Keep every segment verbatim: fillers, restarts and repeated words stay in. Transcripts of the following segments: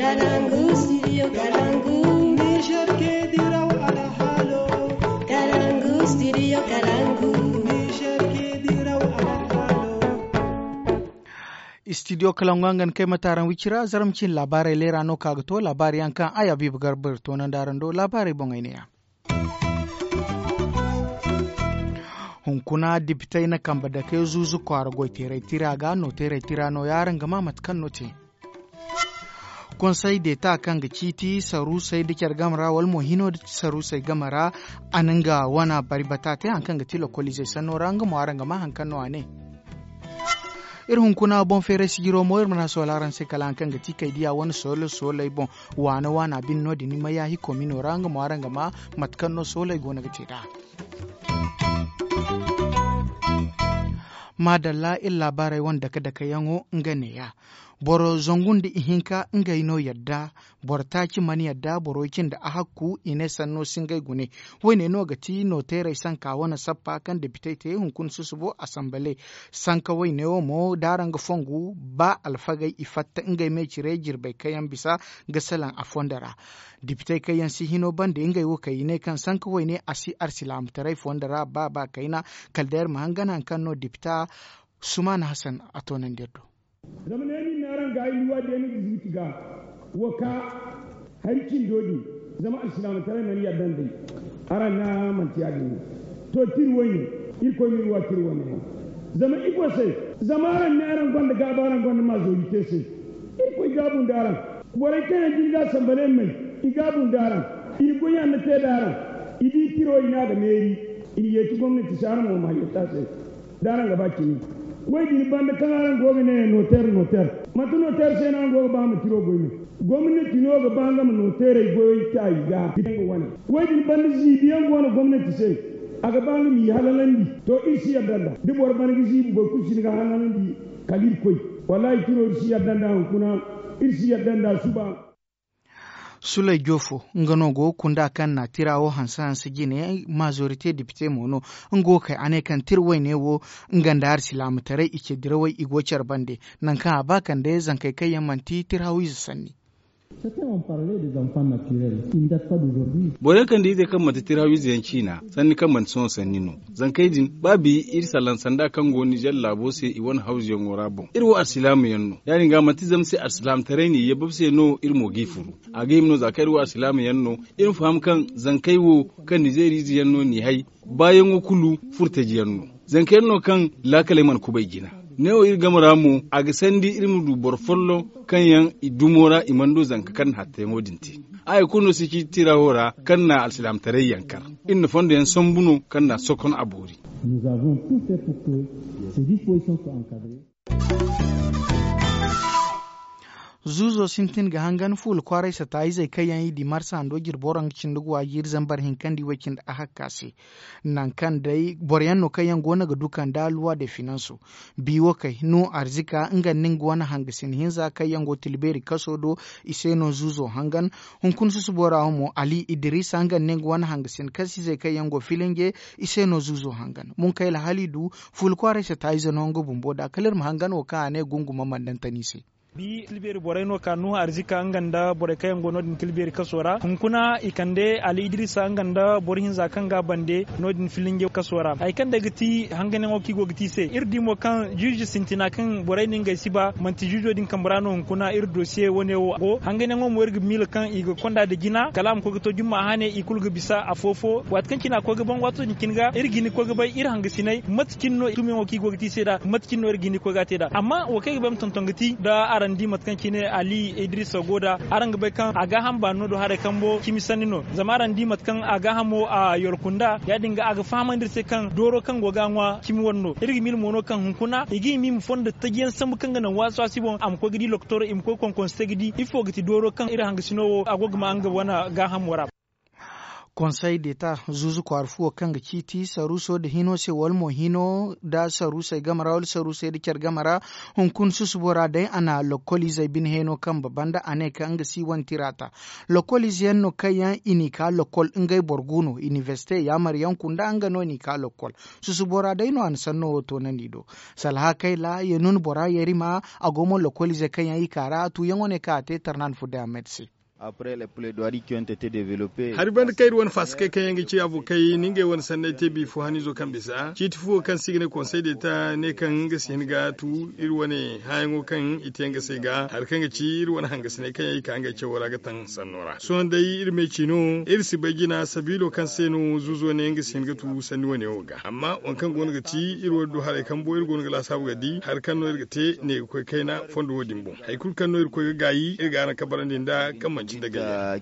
Kalangu, studio Kalangu. Niger ke diraw alhalo. Kalangu, studio Kalangu. Niger ke diraw alhalo. Studio Kalangu, a ngan kay mataran wicira, zaram cin labarai lera no ka ga to, labari yaŋ kaŋ ay Habibu Garba ir toonandi araŋ do, labarai boŋ ay ne ya. Hunkuna dipitey na kambe dake zuuzu kwaara goy teeray tira ga no teeray tira no ya araŋ ga ma mate kaŋ no te. Konsey deeta kaŋ ga ciiti saruusey nda care game ra wala mo hino nda saruusey game ra, a na nga wana bari bata te hari kaŋ ga ti lokoliizey sanno ra nga mo araŋ ga ma hari kaŋ no a ne. Iri hunkuna boŋ feeray sijiro mo iri mana sohõ araŋ se kala hari kaŋ ga ti kay diya wane sooley sooley boŋ. Waana waana bine no- din ni ma yaahi komino ra nga mo araŋ ga ma mate kaŋ no sooley go no ga te nd'a. Maadalla iri laabaarey wane dake dake yaŋo nga neeya. Boro zangu nda ihinka ngey no yadda. Boro taaci mana yadda boro way cindi a hakku i ne sanno si ngey gune. Woyne no ga ti nooteerey sanka wane sappa kaŋ depitey te hunkuna susubo asambale. Sanka woyne wo mo da araŋ ga fongu ba alfagey i fatta ngey me cire jirbey kaŋ yaŋ bisa ga salaŋ a fondo ra. Depitey kaŋ yaŋ si hino bande ngey wo kaŋ i ne kaŋ sanka woyne a si arsilaamataray fondo ra ba ba kayna. Kala day iri ma hangan hari kaŋ no depita sumaana hasan a toonandi iri do. Zama ne nin na araŋ ga ay luwa deeni ga zuuti ga wo ka hari cindo din. Zama alsilaamataray mana yadda nd'ey. Araŋ na manti ya- din no. To tiri woyne. Irkoy ma iri wa tiri woyne yaŋ. Zama ifo se? Zama araŋ ne araŋ gonda gaaba araŋ gonda maazorite se. Irkoy gaabu nda araŋ. Borey kaŋ yaŋ jin ga sambale may i gaabu nda araŋ. I na goy yaŋ na te nda araŋ. I di tiro i ne a ga meeri. I na yeeti gomnati se araŋ mo ma yetta se. Da araŋ ga ba cimi. Way din banda kaŋ araŋ go ga ne nooteer nooteer. Manti nooteer se no araŋ go ga ba ma tiro goy me? Gomnati no ga ba nga ma nooteerey goyey ta i ga ga wane. Way din banda ziibi yaŋ go no gomnati se. A ga ba nga m'i halalandi. To iri si yadda nd'a da boro bana ga ziibi boro kulu si ni ga halalandi. Kala iri koy. Wallaahi tiro iri si yadda nd'a hunkuna. Iri si yadda nd'a suba. Sulay joofo nga no go ga kunda kaŋ na tira wo hanse hanse jine. Maazorite depite mo no nga wo kay a ne kaŋ tira wayne wo nga nda arsilaamataray i ce dirawey i go care bande. Nangu kaŋ a ba kande zankey kaŋ yaŋ manti tira hawiize sanni. Borey kaŋ da izey kaŋ manti tira hawiize yaŋ ciina sanni kaŋ manti sohõ sanni no. Zankey din ba bi iri salaŋ sanda kaŋ go nizer laabo se i wane hawzuyaŋo ra boŋ iri wo alsilaama yaŋ no ya- din ga manti zama se alsilaamataray n'i yabab se no iri mo g'i furu. A ga hima no za kaŋ iri wo alsilaama yaŋ no. Iri ma faham kaŋ zankey wo kaŋ nizer ize yaŋ no n'i hay baayaŋo kulu furtaji yaŋ no. Zanka yaŋ no kaŋ laakaley mana kubay jina. Neewo iri game ra mo a ga sandi iri ma du boro folloŋ kaŋ yaŋ i dumo ra i mana du zanka kaŋ na hattayaŋo din te. Haya kulu no si ciiti tira wo ra kaŋ na alsilaamataray yaŋ kar. Iri na fondo yaŋ sambu no kaŋ na sokon a boori. Zuuzo sintin ga hangan fuula kwaaray sata izey kaŋ yaŋ i di marsa hando jirbo ra nga cindi ga waaji iri zambar hinka nda i way cindi a hakka se. Nangu kaŋ day boro yaŋ no kaŋ yaŋ go no ga du kande a luwa de finanso. Bi wo kay nuhu arzika nga nda nga wane hangasin hinza kaŋ yaŋ go tilbeeri kaso do. I se no zuuzo hangan. Hunkuna susubo ra wo mo ali idirisa nga nda nga wane hangasin kasizey kaŋ yaŋ go filinge. I se no zuuzo hangan munkayla hala i du fuula kwaaray sata ize no nga bumbo da kala iri ma hangan wo kaŋ a ne gunguma mana daŋ tani se. Bi tilbeeri borey no ka nuhu arzika nga nda borey kaŋ yaŋ go no- din tilbeeri kaso ra hunkuna i kande ali idirisa nga nda boro hinza kaŋ ga a bande no- din filinge kaso ra hari kaŋ day ga ti hanganyaŋo kaŋ i go ga te i se iri di mo kaŋ juuji sintina kaŋ borey no ngey si ba manti juujo din kambe ra no hunkuna iri dosiye wane wo go hanganyaŋo mo iri ga miila kaŋ i ga konda nda jina kala a ma koy ga to jumma hane i kulu ga bisa afo fo waati kaŋ cine a koy ga ban waato din cine ga iri ga hin ga koy ga bay iri hangasiney mate cine no tumiyaŋo kaŋ i go ga te i se nd'a mate cine no iri ga hin ga koy ga a te nd'a amma wo kaŋ ay ga bay ma tonton ga ti da araŋ di mate kaŋ cine ali idrisa go nd'a araŋ ga bay kaŋ a gaaham baano no do haray kambo cimi sanni no zama araŋ di mate kaŋ a gaahamo a yolku nd'a ya- din ga a ga fahamandi iri se kaŋ dooro kaŋ go ga a ŋwa cimi wane no iri ga miila mo no kaŋ hunkuna i ga hima i ma fondo taji yaŋ sambu kaŋ ga naŋ waasi waasi boŋ a ma koy ga di loktor i ma koy konkonse ga di ifo ga ti dooro kaŋ iri hangasino wo a go ga ma nga wane gaahamo ra. Konsey deta zuuzu kwaara fuwo kaŋ ga ciiti saruuso nda hino se wala mo hino nda saruusey game ra wala saruusey nda care game ra. Hunkuna susubo ra day a na lokkoliizey bine heno kambe banda a ne kaŋ nga si wane tira ta. Lokkoliize yaŋ no kaŋ yaŋ i n'i ka lokkol ngey boro gu no inibersite yaamar yaŋ kunda nga no n'i ka lokkol. Susubo ra day no a na sanno wo toonandi do. Salha kayla ye nuna bora yerima a go mo lokkoliizey kaŋ yaŋ i ka ra a tuuyaŋo ne kaŋ a te tarnan fudda ahmed se. Hari banda kaŋ iri wane fasikey kaŋ yaŋ ga ci abokey ni ngey wane sanney te biifo haniizo kaŋ bisa ciiti fuwo kaŋ se i ga ne konsey deta ne kaŋ nga si hin ga tu iri wane hããyaŋo kaŋ i te nga se ga hari kaŋ ga ci iri wane hangasiney kaŋ yaŋ i ka ngey cawo ra ga taŋ sanno ra sohõ day iri me ci no iri si bay jina sabiilo kaŋ se no zuuzo ne nga si hin ga tu sanni wane wo ga amma waŋ kaŋ go no ga ti iri wo du haray kambo iri go no ga laasaabu ga di hari kaŋ no iri ga te ne ga koy kayna fondo wo- din boŋ. Hari kulu kaŋ no iri koy ga gaayi iri ga araŋ kabarandi nd'a kaŋ manci nda gayyaŋ.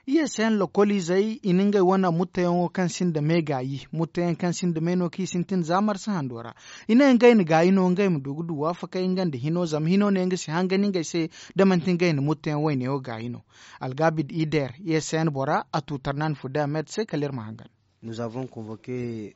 Iye se yaŋ lokoliizey i na ngey wane mutteyaŋo kaŋ sinda me gaayi mutteyaŋ kaŋ sinda me no kaŋ i sintin za marsa hando ra. I ne ngey na gaayi no ngey ma du ga du waafakey nga nda hino zama hino ne nga si hangan ngey se da manti ngey na mutteyaŋ wayne wo gaayi no. Algabid ider iye se yaŋ bora a tu tarnan fudda ahmed se kala iri ma hangan. Nous avons convoke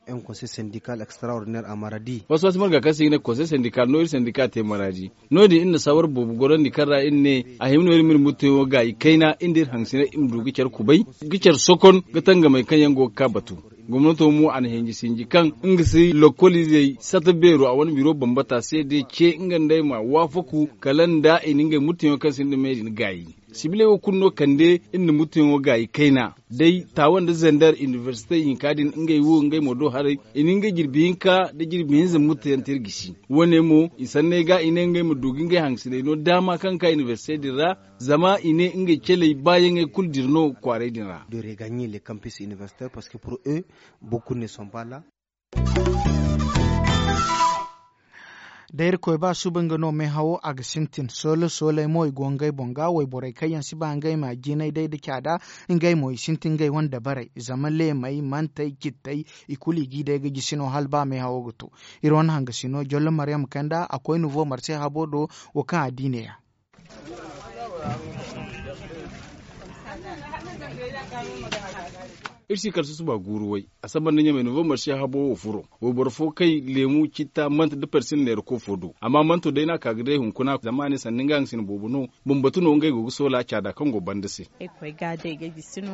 un conseil syndical extraordinaire a maradi. Wasu wasu marga kaŋ se i ga ne konsey sendikal no iri sendika te maradi. No- din iri na sawar boobo gorandi kaŋ ra iri ne a hima no iri ma iri mutteyaŋo gaayi kayna iri nda iri hangasiney iri ma du ga care kubay ga care sokon ga tangamey kaŋ yaŋ go ga ka batu. Gomnato mo a na hinji sinji kaŋ nga si lokkoliizey sata beero a wane biro bambata se day ce nga nd'ey ma waafaku kala nda i na ngey mutteyaŋo kaŋ sinda me din gaayi. Sibiley wo kulu no kande iri na mutteyaŋo gaayi kayna day taawa nda zandar inibersite hinka din ngey wo ngey mo do haray i na ngey jirbi hinka nda jirbi hinza mutteyaŋ te iri gisi. Wo- ne mo i sanney ga i ne ngey ma du ga ngey hangasiney no daama kaŋ ga ka inibersite din ra. Zama i ne ngey caley baayaŋey kulu dira no kwaaray din ra. De regagne les campus universitaires parce que pour eux beaucoup ne sont pas là. Da irkoy ba suba nga no meehawo a ga sintin soole sooley mo i go ngey boŋ ga wayborey kaŋ yaŋ si ba ngey ma jinay day nda caada. Ngey mo i sintin ngey wane dabarey zama leemey mantey cittey i kulu i g'i day ga jisi no hala ba meehawo ga to. Iri wane hangasino jollo maryam kanda a koy nouveau marse habo do. Wo kaŋ a di neeya. Iri si kala susuba guuru way a saba nda ɲamay nouveau marse habo wo furo. Wayboro fo kay leemu citta manta da persin neera koofo do amma manto day no a ka ga day hunkuna zama a ne sanda nga nga sina boobo no. Bambatu no ngey go ga soola caada kaŋ go banda se. Ay koy ga day ga gisi no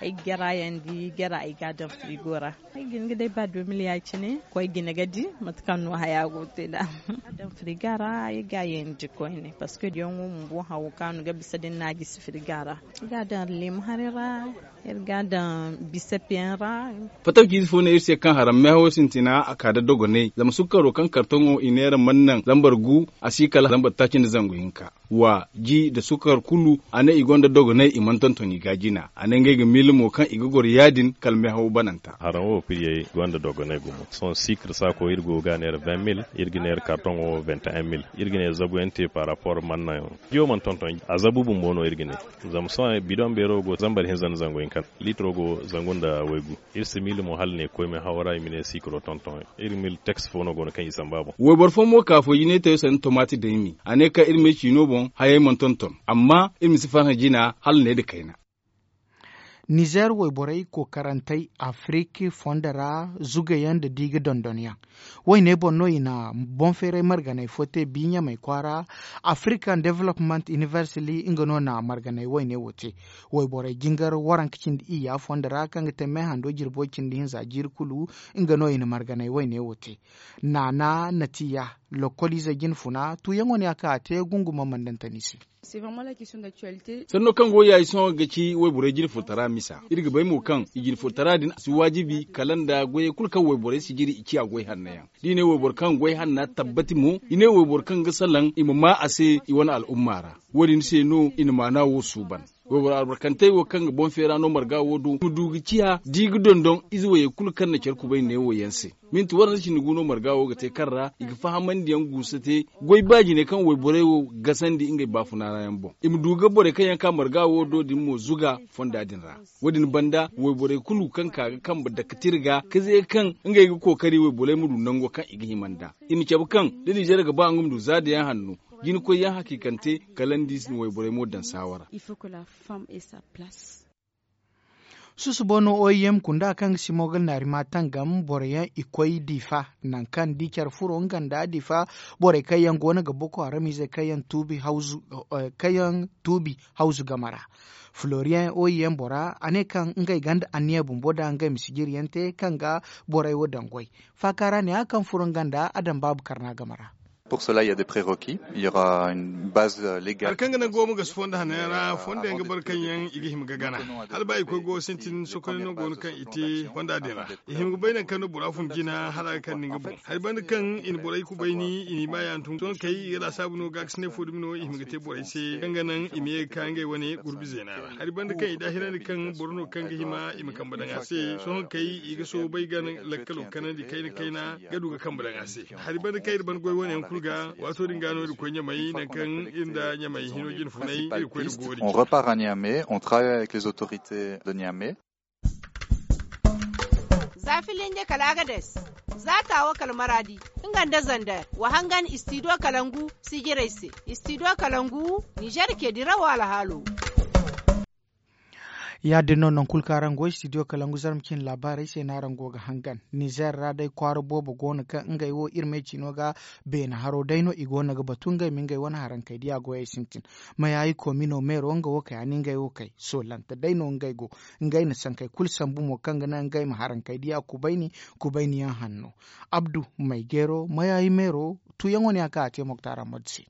ay ga gera yaŋ di gera ay ga a daŋ frigo ra. Ay ga hin ga day ba deux mille ya- cine koy ga ni ga di mate kaŋ no haya go ga te nd'a. Ga a daŋ frigo ra ay ga a yeendi koyne parceque diyaŋo bumbo hawo kaŋ a no ga bisa da ni na a gisi frigo ra. Ay ga a daŋ leemu haray ra. Iri ga a daŋ bisapiyaŋ ra. Fatawci ize fo ne iri se kaŋ haram meehawo sintina a ka nda dogonay zama sukkaro kaŋ kartoŋo i neera mana naŋ zambar gu a si kala zambar taaci nda zangu hinka. Wa ji nda sukkar kulu a ne i gonda dogonay i mana tonton i ga jina a ne ngey ga miila mo kaŋ i ga goro ya- din kala meehawo bananta. Haram wo piriyey gonda dogonay gumo sohõ sikir saako iri go ga a neera vingt mille iri ga neera kartoŋo vingt et un mille. Iri ga ne zabu yaŋ te par rapport mana naŋ. Jiyo mana tonton a zabu bumbo no iri ga ne. Zama sohõ bidoŋ beero go zambar hinza nda zangu hinka litiro go zangu nda waygu. Iri si miila mo hala ne koy meehawo ra i ma ne sikiro tonton iri miila teks fo no go no kaŋ i samba boŋ. Wayboro fo mo ka fo jinay tayo sanda tomaati daymi a ne kaŋ iri ma ay ciino boŋ hayey mana tonton amma iri ma si farhã jina hala ne nda kayna. Nizer wayborey kookarantey afirik fondo ra zugayaŋ nda diiga dondonyaŋ. Wayne boŋ no i na boŋ feeray marganey fo te bi ɲamey kwaara. African development university nga no na marganey wayne wo te. Wayborey jingar waranka cindi iyya fondo ra kaŋ ga te meehando jirbo cindi hinza jiiri kulu. Nga no i na marganey wayne wo te. Naana natiya lokkoliizey jine funa tuuyaŋo ne a ka a te gunguma mandantani se. Sanno kaŋ go yaayi sohõ ga ci wayborey jine furtara misa iri ga bay mo kaŋ i jine furtara din a si waajibi kala nda goyey kulu kaŋ wayborey si jiri i ciya goy hanno yaŋ. Da i ne wayboro kaŋ goy hanna tabbati mo i ne wayboro kaŋ ga salaŋ i ma maa a se i wane al'umma ra. Wo- din se no i na maana wo suuban. Wayboro albarkantey wo kaŋ ga boŋ feera no marga wo do i ma du ga ciya da i ga dondon ize wayey kulu kaŋ na care kubay neewo yaŋ se. Minti waranza cindi gu no marga wo ga te kaŋ ra i ga fahamandi yaŋ guusa te goy baajiney kaŋ wayborey wo gasandi ngey baafuna ra yaŋ boŋ i ma du ga borey kaŋ yaŋ ka marga wo do din mo zuga fonda din ra. Wo- din banda wayborey kulu kaŋ ka ga kambe dake tira ga ka ze kaŋ ngey ga kookari wayborey ma du nango kaŋ i ga hima nd'a. I ma cabe kaŋ da ninzeer ga ba nga ma du zaada yaŋ hanno. Jina koyyaŋ hakiikante kala ni di si na wayborey mo daŋ saawara. Susubo no oim kunda kaŋ ga simo ga naari ma tangam boroyaŋ i koy difa, nangu kaŋ di care furo nga nda difa borey kaŋ yaŋ go no ga boko haram izey kaŋ yaŋ tuubi hawzu game ra. Florian oim bora a ne kaŋ ngey ganda anniya bumbo da ngey ma sijiriyaŋ te kaŋ ga borey wo daŋ goy. Faaka ra ne a kaŋ furo nga nda a daŋ baabu karna game ra. Hari kaŋ ga naŋ goomo ga si fondo hanno yaŋ ra fondo yaŋ ga bare kaŋ yaŋ i ga hima ga gana. Hala ba i koy go sintin sokonay no go no kaŋ i te fonda din ra. I hima ga bay nangu kaŋ no bora fun jina hala a ga kande nga boŋ hari banda kaŋ i na borey kubayni i n'i ma yaŋ tun sohõ kay i ga laasaabu no ga ga si ne fo dumi no i hima ga te borey se kaŋ ga naŋ i ma ye ga ka ngey wane gurbi zeena ra. Hari banda kaŋ i daahirandi kaŋ boro no kaŋ ga hima i ma kambe daŋ a se sohõ kay i ga soobay ga lakkalo kanandi kayna kayna ga du ga kambe daŋ a se. Hari banda kaŋ iri ban goy wane yaŋ kulu ga waato din ga no iri koy ɲamay nangu kaŋ iri nda ɲamay hino jine funay iri koy da goori. On repart à Niamey, on travaille avec les autorités de Niamey. Za filinje kala agades, za taawo kala maraadi, nga nda zander wa hangan istidiyo kalangu sijirey se. Istidiyo kalangu nizer ke dirawo alhaalo. Ya- din no nangu kulu kaŋ araŋ go istidiyo kalangu zarma cine laabaarey se no araŋ go ga hangan. Nizer ra day kwaara boobo go no kaŋ ngey wo iri me ciino ga beene haro day no i go no ga batu ngey ma ngey wane harankey diya goyey sintin. Mayaayi komino meero nga wo kay a na ngey wo kay soolante day no ngey go. Ngey na sankey kulu sambu mo kaŋ ga naŋ ngey ma harankey diya kubayni kubayni yaŋ hanno. Abdu, maygeero mayaayi meero tuuyaŋo ne a kaŋ a te moktaara mode se.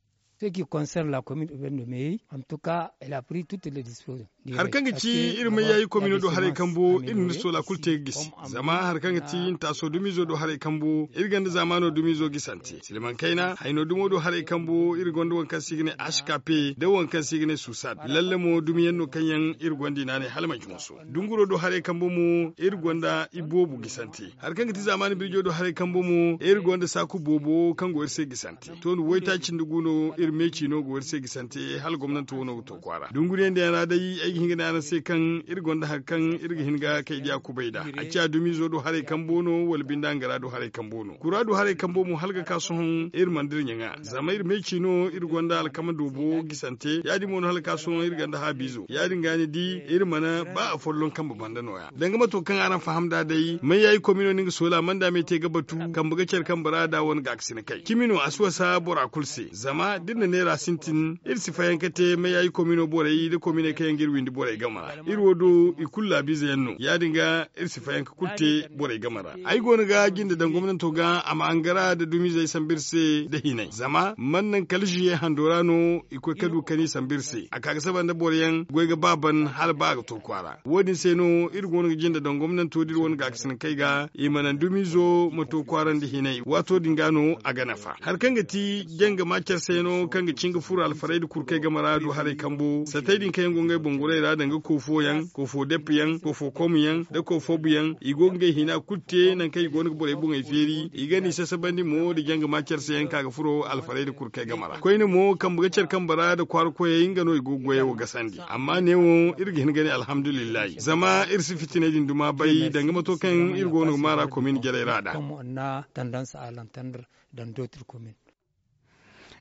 Hari kaŋ ga ci iri mayaayi komino do haray kambo iri na iri soola kulu te ga gisi. Zama hari kaŋ ga ci ntaaso dumiizo do haray kambo iri gonda zaamaano dumiizo gisante silmaŋ kayna hayno dumo do haray kambo iri gonda waŋ kaŋ se i ga ne ashkape nda waŋ kaŋ se i ga ne susad lalle mo dumiyaŋ no kaŋ yaŋ iri gonda i naanay hala manci moso. Dunguro do haray kambo mo iri gonda iboobu gisante. Hari kaŋ ga ti zaamaani birjo do haray kambo mo iri gonda saaku boobo kaŋ go iri se gisante. To ni waytaaci nda gu no iri me ciino go iri se gisante hala gomnanto wano ga to kwaara dunguriyaŋ din yaŋ ra day ay ga hin ga ne araŋ se kaŋ iri gonda hari kaŋ iri ga hin ga kay diya kubay nd'a a ciya dumiizo do haray kambo no wala binde angara do haray kambo no kura do haray kambo mo hala ga ka sohõ iri mana dira ɲaŋa zama iri me ciino iri gonda alkama doobo gisante ya- din mo no hala ga ka sohõ iri gonda haabiizo ya- din ga ni di iri mana ba afolloŋ kambe banda nooya. Danga mato kaŋ araŋ faham nd'a day mayaayi komino no nga soola manda me te ga batu kambe ga care kambe ra da wane gaakasina kay cimi no a si wasa bora kulu se zama da iri na neera sintin iri si fayanka te mayaayi komino borey nda kominey kaŋ yaŋ ga iri windi borey game ra iri wo do i kulu laabiize yaŋ no ya- din ga iri si fayanka kulu te borey game ra. Ay go no ga jinde daŋ gomnanto ga a ma angara nda dumiizey sambu iri se nda hinay zama mana naŋ kala ziye hando ra no i koy ka du kani sambu iri se a ka ga saba nda boro yaŋ goy ga ba ban hala ba a ga to kwaara. Wo- din se no iri go no ga jinde daŋ gomnanto da iri wane gaakasina kay ga i ma naŋ dumiizo ma to kwaara nda hinay waato din ga no a ga nafa. Hari kaŋ ga ti janga ma care se no kaŋ ga cin ga furo alfarayda kurkey game ra du haray kambo satey din kaŋ yaŋ go ngey boŋ goray ra danga koofo yaŋ koofo deppe yaŋ koofo kom yaŋ nda koofo bu yaŋ i go ga ngey hina kulu te nangu kaŋ i go no ga borey boŋey feeri i ga no i sasabandi mo nda janga ma care se yaŋ ka ga furo alfarayda kurkey game ra koyne mo kambe ga care kambe ra nda kwaara koyey nga no i go ga goyey wo gasandi amma neewo iri ga hin ga ne alhamdulillahi zama iri si fitiney din duma bay danga mato kaŋ iri go no ga maara komin jarey ra nd'a.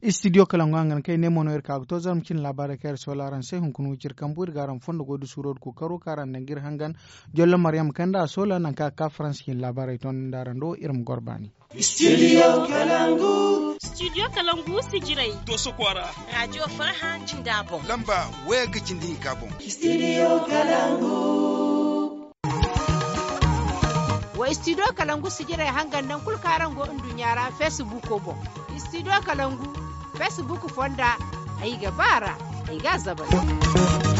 Istidiyo kalaŋ go hangan kaŋ ay ne mo no iri ka ga to zarma cine laabaarey kaŋ iri soola araŋ se hunkuna wiciri kambu iri ga araŋ fondo goy da suuro da kookaro kaŋ araŋ daŋ ga iri hangan. Jollo maryam kaŋ nda a soola nangu kaŋ a ga ka faransa cine laabaarey toonandi araŋ do iri ma goro baani. Studio kalangu. Studio kalangu sijirey. Dooso kwaara. Raajiyo farhã jinda boŋ. Lamba waya ga cindi hinka boŋ. Studio kalangu. Wa studio kalangu sijirey hangan naŋ kulu kaŋ araŋ go nduɲɲa ra facebook boŋ. Studio kalangu facebook fonda. Ay ga ba ra. Ay ga a zabari.